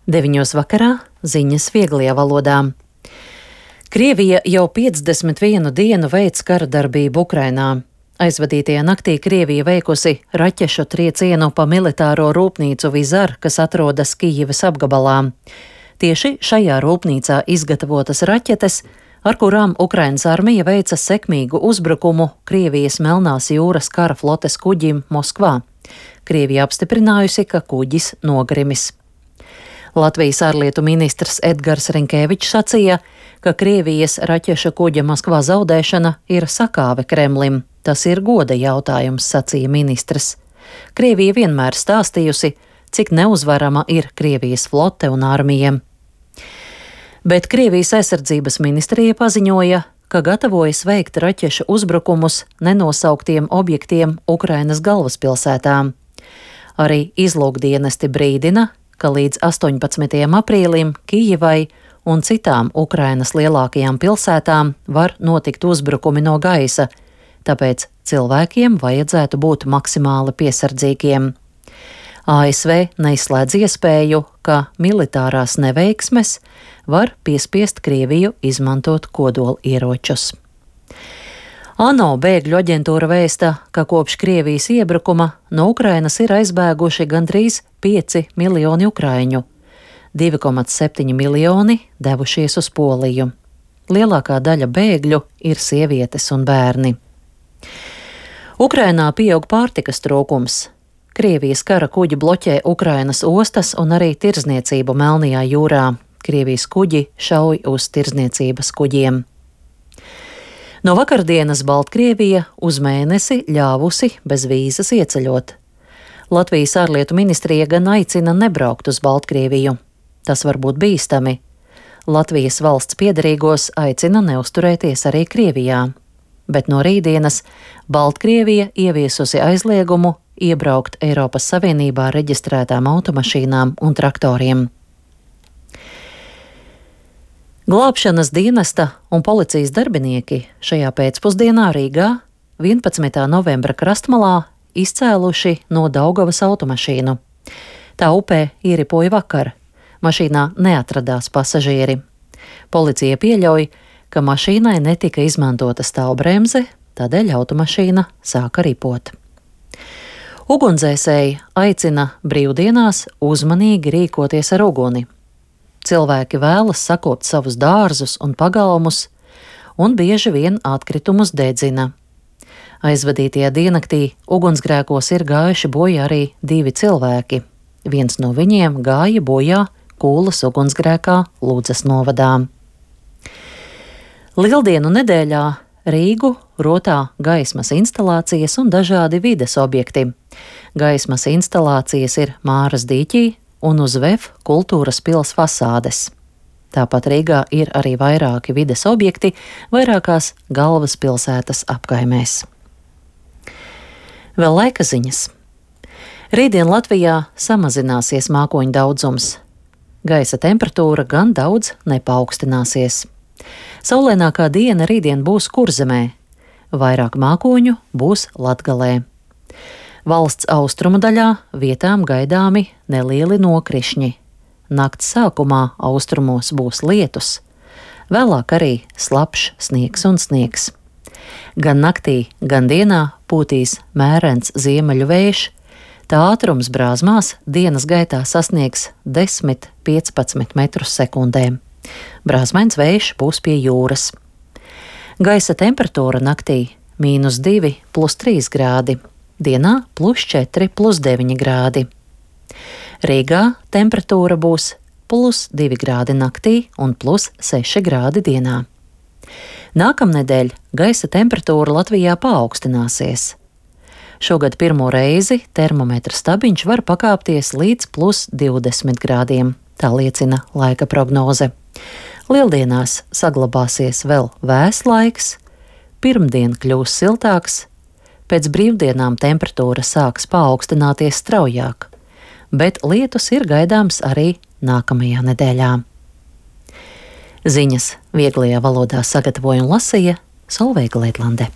9 vakarā ziņas vieglajā valodā. Krievija jau 51 dienu veic kara darbību Ukrainā. Aizvadītajā naktī Krievija veikusi raķešu triecienu pa militāro rūpnīcu Vizar, kas atrodas Kijivas apgabalā. Tieši šajā rūpnīcā izgatavotas raķetes, ar kurām Ukrainas armija veica sekmīgu uzbrukumu Krievijas Melnās jūras kara flotes kuģim Moskvā. Krievija apstiprinājusi, ka kuģis nogrimis. Latvijas ārlietu ministrs Edgars Rinkēvičs sacīja, ka Krievijas raķešu kuģa Moskvā zaudēšana ir sakāve Kremlim. Tas ir goda jautājums, sacīja ministrs. Krievija vienmēr stāstījusi, cik neuzvarama ir Krievijas flote un armija. Bet Krievijas aizsardzības ministrija paziņoja, ka gatavojas veikt raķešu uzbrukumus nenosauktiem objektiem Ukrainas galvaspilsētā. Arī izlūkdienesti brīdina, ka līdz 18. aprīlim Kijivai un citām Ukrainas lielākajām pilsētām var notikt uzbrukumi no gaisa, tāpēc cilvēkiem vajadzētu būt maksimāli piesardzīgiem. ASV neizslēdz iespēju, ka militārās neveiksmes var piespiest Krieviju izmantot kodolieročus. ANO bēgļu aģentūra vēsta, ka kopš Krievijas iebrukuma no Ukrainas ir aizbēguši gandrīz 5 miljoni ukraiņu. 2,7 miljoni devušies uz Poliju. Lielākā daļa bēgļu ir sievietes un bērni. Ukrainā pieaug pārtikas trūkums. Krievijas kara kuģi bloķē Ukrainas ostas un arī tirdzniecību Melnajā jūrā. Krievijas kuģi šauj uz tirdzniecības kuģiem. No vakardienas Baltkrievija uz mēnesi ļāvusi bez vīzas ieceļot. Latvijas ārlietu ministrija gan aicina nebraukt uz Baltkrieviju. Tas var būt bīstami. Latvijas valsts piederīgos aicina neuzturēties arī Krievijā. Bet no rītdienas Baltkrievija ieviesusi aizliegumu iebraukt Eiropas Savienībā reģistrētām automašīnām un traktoriem. Glābšanas dienesta un policijas darbinieki šajā pēcpusdienā Rīgā 11. novembra krastmalā izcēluši no Daugavas automašīnu. Tā upē ieripoja vakar. Mašīnā neatradās pasažieri. Policija pieļauj, ka mašīnai netika izmantota stāvbremze, tādēļ automašīna sāka ripot. Ugunsdzēsēji aicina brīvdienās uzmanīgi rīkoties ar uguni. Cilvēki vēlas sakopt savus dārzus un pagalmus, un bieži vien atkritumus dedzina. Aizvadītajā diennaktī ugunsgrēkos ir gājuši bojā arī 2 cilvēki. Viens no viņiem gāja bojā Kūlas ugunsgrēkā Ludzas novadā. Lieldienu nedēļā Rīgu rotā gaismas instalācijas un dažādi vides objekti. Gaismas instalācijas ir Māras dīķī un uz VEF kultūras pils fasādes. Tāpat Rīgā ir arī vairāki vides objekti vairākās galvaspilsētas apkaimēs. Vēl laika ziņas. Rītdien Latvijā samazināsies mākoņu daudzums. Gaisa temperatūra gan daudz nepaukstināsies. Saulainākā diena rītdien būs Kurzemē. Vairāk mākoņu būs Latgalē. Valsts austrumu daļā vietām gaidāmi nelieli nokrišņi. Nakts sākumā austrumos būs lietus, vēlāk arī slapjš sniegs un sniegs. Gan naktī, gan dienā pūtīs mērens ziemeļu vējš, tā ātrums brāzmās dienas gaitā sasniegs 10–15 metrus sekundē. Brāzmains vējš būs pie jūras. Gaisa temperatūra naktī -2 + 3 grādi. Dienā +4 + 9 grādi. Rīgā temperatūra būs +2 grādi naktī un +6 grādi dienā. Nākamnedēļ gaisa temperatūra Latvijā paaugstināsies. Šogad pirmo reizi termometra stabiņš var pakāpties līdz +20 grādiem, tā liecina laika prognoze. Lieldienās saglabāsies vēl vēss laiks, pirmdien kļūs siltāks, pēc brīvdienām temperatūra sāks paaugstināties straujāk, bet lietus ir gaidāms arī nākamajā nedēļā. Ziņas vieglajā valodā sagatavoja un lasīja Solveiga Leitlande.